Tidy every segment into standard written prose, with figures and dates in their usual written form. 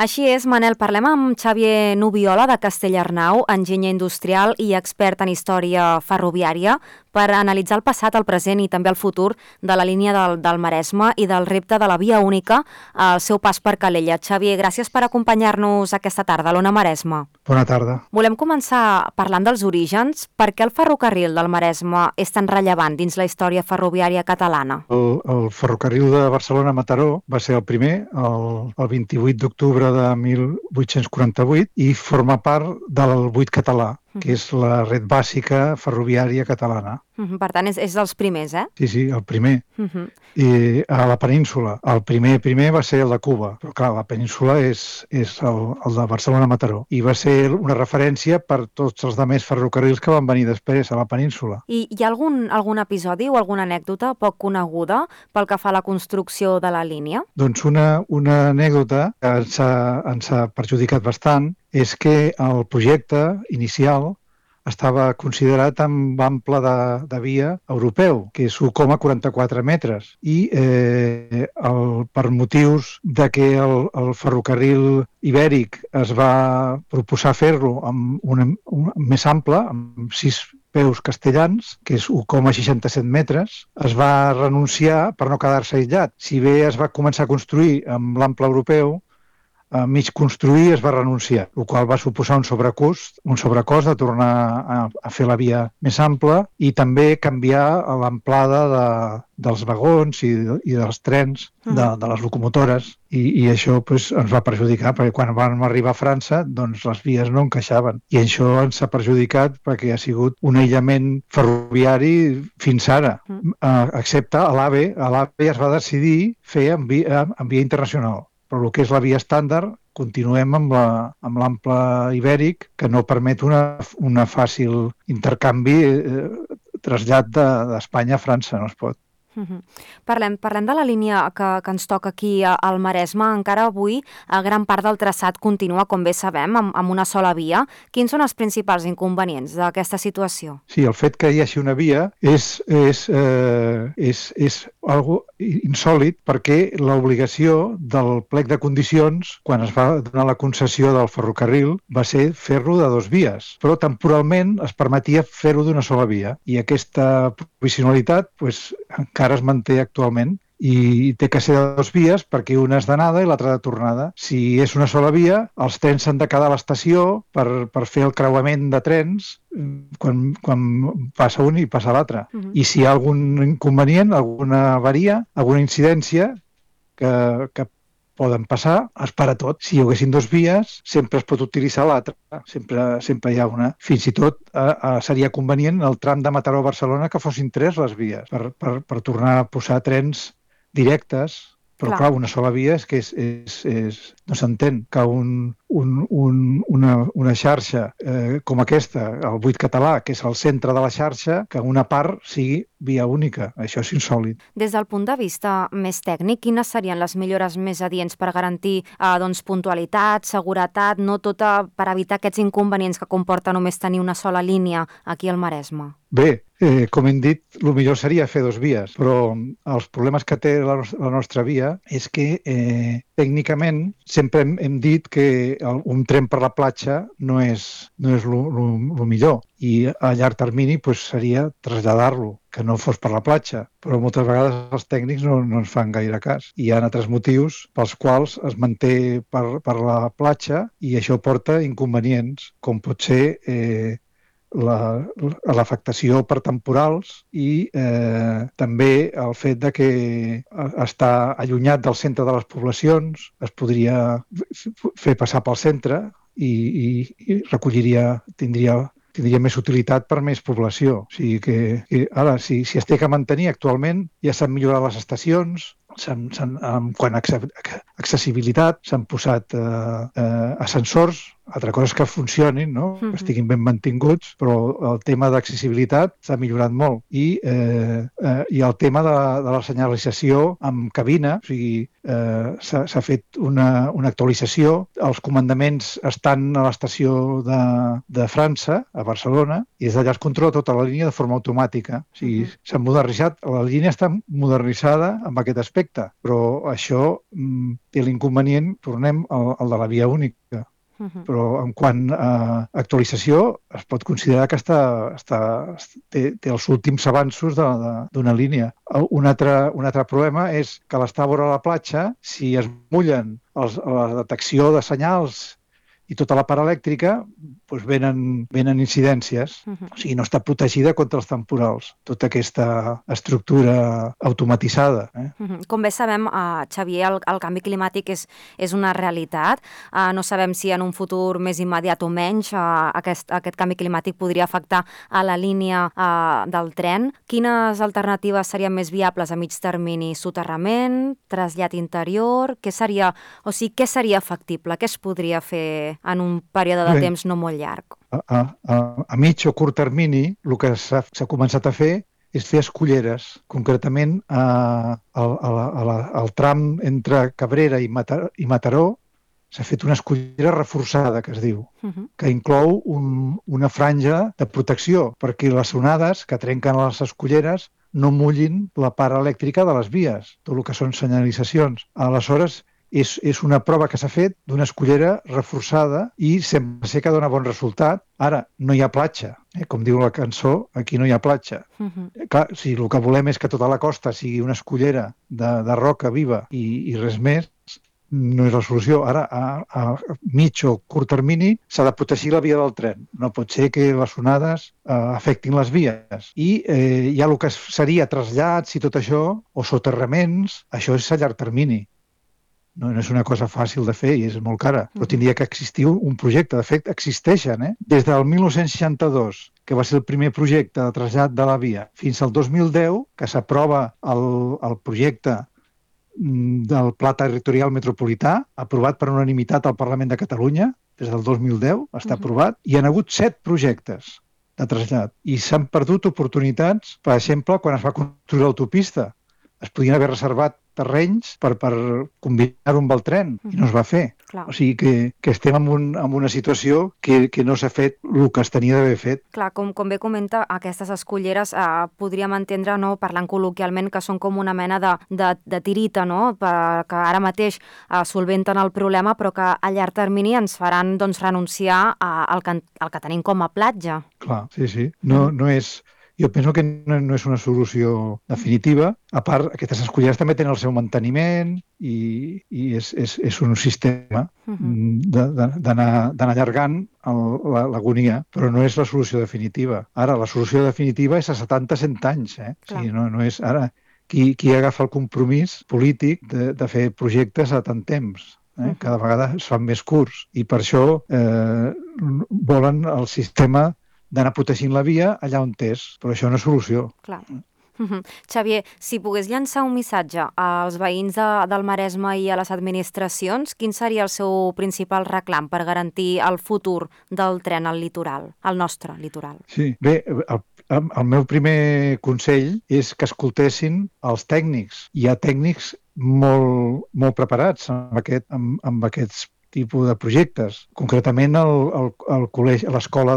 Així és, Manel, parlem amb Xavier Nubiola de Castellarnau, enginyer industrial i expert en història ferroviària, per analitzar el passat, el present i també el futur de la línia del Maresme i del repte de la via única al seu pas per Calella. Xavier, gràcies per acompanyar-nos aquesta tarda a l'Ona Maresme. Bona tarda. Volem començar parlant dels orígens. Per què el ferrocarril del Maresme és tan rellevant dins la història ferroviària catalana? El ferrocarril de Barcelona-Mataró va ser el primer, el 28 d'octubre de 1848, i forma part del buit català, que és la red bàsica ferroviària catalana. Per tant, és dels primers, eh? Sí, el primer. I a la península. El primer va ser el de Cuba, però clar, la península és el de Barcelona-Mataró. I va ser una referència per tots els altres ferrocarrils que van venir després a la península. I hi ha algun episodi o alguna anècdota poc coneguda pel que fa a la construcció de la línia? Doncs una anècdota que ens ha perjudicat bastant és que el projecte inicial estava considerat amb ample de via europeu, que és 1,44 metres. I per motius de que el ferrocarril ibèric es va proposar fer-lo amb més ample, amb 6 peus castellans, que és 1,67 metres, es va renunciar per no quedar-se aïllat. Si bé es va començar a construir amb l'ample europeu, a mig construir es va renunciar, el qual va suposar un sobrecost de tornar a fer la via més ampla i també canviar l'amplada dels vagons i dels trens, de les locomotores, i això ens va perjudicar, perquè quan vam arribar a França doncs les vies no encaixaven, i això ens ha perjudicat perquè ha sigut un aïllament ferroviari fins ara, excepte a l'AVE. A l'AVE es va decidir fer en via internacional, però el que és la via estàndard continuem amb l'ample ibèric, que no permet una fàcil intercanvi, trasllat d'Espanya a França, no es pot. Parlem de la línia que ens toca aquí al Maresme. Encara avui gran part del traçat continua, com bé sabem, amb una sola via. Quins són els principals inconvenients d'aquesta situació? Sí, el fet que hi hagi una via és algo insòlit, perquè l'obligació del plec de condicions, quan es va donar la concessió del ferrocarril, va ser fer-lo de 2 vies, però temporalment es permetia fer-ho d'una sola via, i aquesta provisionalitat encara es manté actualment, i té que ser de 2 vies perquè una és d'anada i l'altra de tornada. Si és una sola via, els trens s'han de quedar a l'estació per fer el creuament de trens quan passa un i passa l'altre. I si hi ha algun inconvenient, alguna avaria, alguna incidència que poden passar, es para tot. Si hi haguessin 2 vies, sempre es pot utilitzar l'altra. Sempre hi ha una. Fins i tot seria convenient el tram de Mataró a Barcelona que fossin 3 les vies, per tornar a posar trens directes, però clar, una sola via és que no s'entén que una xarxa com aquesta, el buit català, que és el centre de la xarxa, que una part sigui via única. Això és insòlit. Des del punt de vista més tècnic, quines serien les millores més adients per garantir puntualitat, seguretat, no tota per evitar aquests inconvenients que comporta només tenir una sola línia aquí al Maresme? Bé, com hem dit, el millor seria fer 2 vies, però els problemes que té la nostra via és que tècnicament sempre hem dit que un tren per la platja no és el millor, i a llarg termini seria traslladar-lo, que no fos per la platja, però moltes vegades els tècnics no ens fan gaire cas. Hi ha altres motius pels quals es manté per la platja, i això porta inconvenients, com pot ser l'afectació per temporals i també el fet de que està allunyat del centre de les poblacions, es podria fer passar pel centre i tindria més utilitat per més població. O sigui que ara, si es té que mantenir, actualment ja s'han millorat les estacions, quant a accessibilitat, s'han posat ascensors Altra cosa és que funcionin, no? Que estiguin ben mantinguts, però el tema d'accessibilitat s'ha millorat molt. I el tema de la senyalització amb cabina, o sigui, s'ha fet una actualització. Els comandaments estan a l'estació de França, a Barcelona, i des d'allà es controla tota la línia de forma automàtica. O sigui, s'ha modernitzat, la línia està modernitzada amb aquest aspecte, però això té l'inconvenient, tornem al de la via única. Però en quant a actualització es pot considerar que té els últims avanços d'una línia. Un altre problema és que a l'estar vora la platja, si es mullen la detecció de senyals i tota la part elèctrica, doncs venen incidències. O sigui, no està protegida contra els temporals, tota aquesta estructura automatitzada. Com bé sabem, Xavier, el canvi climàtic és una realitat. No sabem si en un futur més immediat o menys aquest canvi climàtic podria afectar a la línia del tren. Quines alternatives serien més viables a mig termini? Soterrament? Trasllat interior? Què seria factible? Què es podria fer en un període de temps no molt llarg? A mig o curt termini, el que s'ha començat a fer és fer esculleres. Concretament, al tram entre Cabrera i Mataró s'ha fet una escullera reforçada, que es diu, que inclou una franja de protecció perquè les onades que trenquen les esculleres no mullin la part elèctrica de les vies, tot el que són senyalitzacions. Aleshores, és una prova que s'ha fet d'una escullera reforçada i sembla ser que dona bon resultat. Ara, no hi ha platja. Com diu la cançó, aquí no hi ha platja. Clar, si el que volem és que tota la costa sigui una escullera de roca viva i res més, no és la solució. Ara, a mig o curt termini, s'ha de protegir la via del tren. No pot ser que les onades afectin les vies. I hi ha el que seria trasllats i tot això, o soterraments, això és a llarg termini. No és una cosa fàcil de fer i és molt cara, però tindria que existir un projecte. De fet, existeixen. Des del 1962, que va ser el primer projecte de trasllat de la via, fins al 2010, que s'aprova el projecte del Pla Territorial Metropolità, aprovat per unanimitat al Parlament de Catalunya, des del 2010, està aprovat, i hi ha hagut 7 projectes de trasllat. I s'han perdut oportunitats, per exemple, quan es va construir l'autopista. Es podien haver reservat terrenys per combinar-ho amb el tren i no es va fer. Clar. O sigui que estem en una situació que no s'ha fet el que es tenia d'haver fet. Clar, com bé comenta, aquestes esculleres podríem entendre, no, parlant col·loquialment, que són com una mena de tirita, no?, que ara mateix solventen el problema, però que a llarg termini ens faran renunciar al que tenim com a platja. Clar, sí. No és... Jo penso que no és una solució definitiva. A part, aquestes esculleres també tenen el seu manteniment i és un sistema d'anar allargant l'agonia, però no és la solució definitiva. Ara, la solució definitiva és a 70-100 anys. O sigui, no és ara qui agafa el compromís polític de fer projectes a tant temps. Cada vegada es fan més curts i per això volen el sistema d'anar protegint la via allà on és, però això no és solució. Clar. Xavier, si pogués llançar un missatge als veïns del Maresme i a les administracions, quin seria el seu principal reclam per garantir el futur del tren al litoral, al nostre litoral? Sí, bé, el meu primer consell és que escoltessin els tècnics. Hi ha tècnics molt preparats amb aquests tipus de projectes. Concretament, l'escola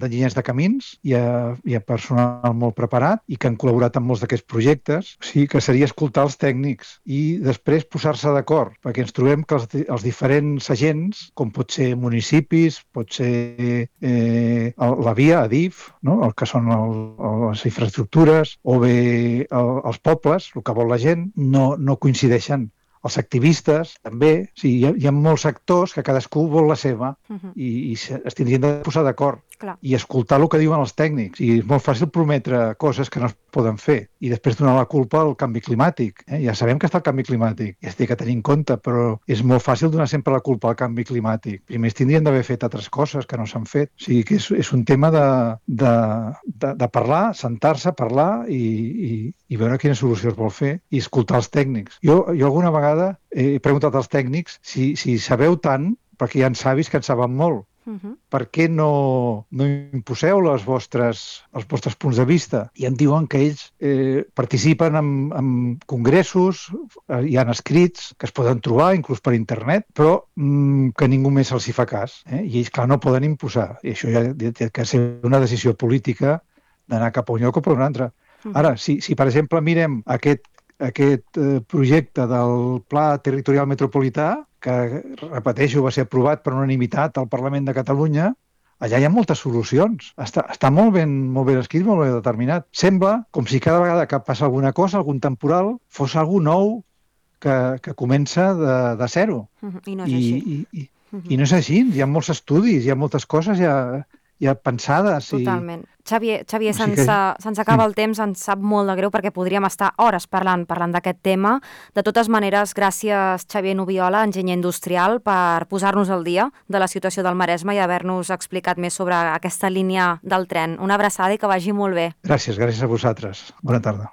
d'enginyers de camins hi ha personal molt preparat i que han col·laborat en molts d'aquests projectes. O sigui que seria escoltar els tècnics i després posar-se d'acord, perquè ens trobem que els diferents agents, com pot ser municipis, pot ser la via, Adif, no?, el que són les infraestructures, o bé els pobles, el que vol la gent, no coincideixen. Els activistes, també. O sigui, hi ha molts actors que cadascú vol la seva i es tindrien de posar d'acord i escoltar el que diuen els tècnics. I és molt fàcil prometre coses que no es poden fer i després donar la culpa al canvi climàtic. Ja sabem que està el canvi climàtic i es té que tenir en compte, però és molt fàcil donar sempre la culpa al canvi climàtic. Primer es tindrien d'haver fet altres coses que no s'han fet. O sigui que és un tema de parlar, sentar-se, parlar i veure quina solució es vol fer i escoltar els tècnics. Jo alguna vegada he preguntat als tècnics si sabeu tant, perquè hi ha savis que en saben molt. Per què no imposeu els vostres punts de vista? I em diuen que ells participen en congressos, hi ha escrits que es poden trobar, inclús per internet, però que ningú més els hi fa cas. I ells, clar, no poden imposar. I això ja té que ser una decisió política d'anar cap a un lloc o per un altre. Ara, si per exemple, mirem aquest projecte del Pla Territorial Metropolità, que, repeteixo, va ser aprovat per unanimitat al Parlament de Catalunya, allà hi ha moltes solucions. Està molt ben escrit, molt ben determinat. Sembla com si cada vegada que passa alguna cosa, algun temporal, fos algú nou que comença de zero. I no és així. I no és així. Hi ha molts estudis, hi ha moltes coses ja pensades. Totalment. Xavier, se'ns acaba el temps, ens sap molt de greu perquè podríem estar hores parlant d'aquest tema. De totes maneres, gràcies Xavier Nubiola, enginyer industrial, per posar-nos al dia de la situació del Maresme i haver-nos explicat més sobre aquesta línia del tren. Una abraçada i que vagi molt bé. Gràcies a vosaltres. Bona tarda.